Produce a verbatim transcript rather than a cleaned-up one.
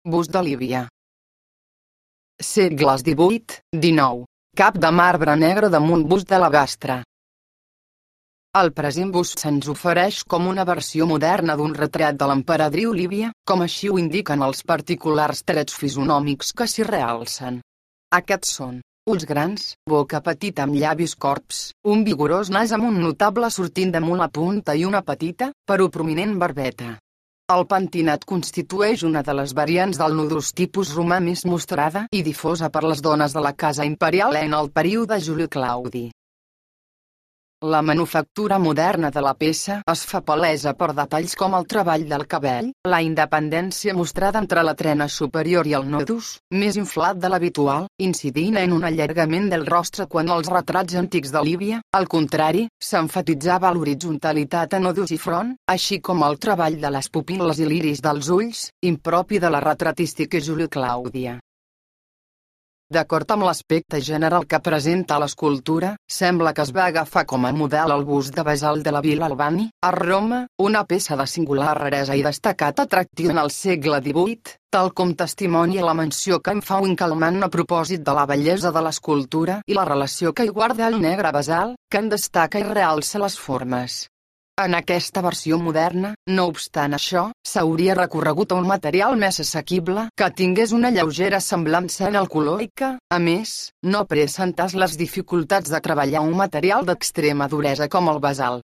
Bust de Lívia. Segles divuit dinou. Cap de marbre negre damunt bust de la gastra. El present bust se'ns ofereix com una versió moderna d'un retrat de l'emperadriu Lívia, com així ho indiquen els particulars trets fisonòmics que s'hi realcen. Aquests són: ulls grans, boca petita amb llavis corbs, un vigorós nas amb un notable sortint damunt la punta i una petita, però prominent barbeta. El pentinat constitueix una de les variants del nudus tipus romà més mostrada i difosa per les dones de la casa imperial en el període Juli Claudi. La manufactura moderna de la peça es fa palesa per detalls com el treball del cabell, la independència mostrada entre la trena superior i el nodus, més inflat de l'habitual, incidint en un allargament del rostre quan els retrats antics de Lívia, al contrari, s'emfatitzava l'horitzontalitat a nodus i front, així com el treball de les pupil·les i l'iris dels ulls, impropi de la retratística julioclàudia. D'acord amb l'aspecte general que presenta l'escultura, sembla que es va agafar com a model el bust de basalt de la Vila Albani, a Roma, una peça de singular raresa i destacat atractiu en el segle divuit, tal com testimonia la menció que en fa Winkelmann a propòsit de la bellesa de l'escultura i la relació que hi guarda el negre basalt, que en destaca i realça les formes. En aquesta versió moderna, no obstant això, s'hauria recorregut a un material més assequible que tingués una lleugera semblança en el color i que, a més, no presentàs les dificultats de treballar un material d'extrema duresa com el basalt.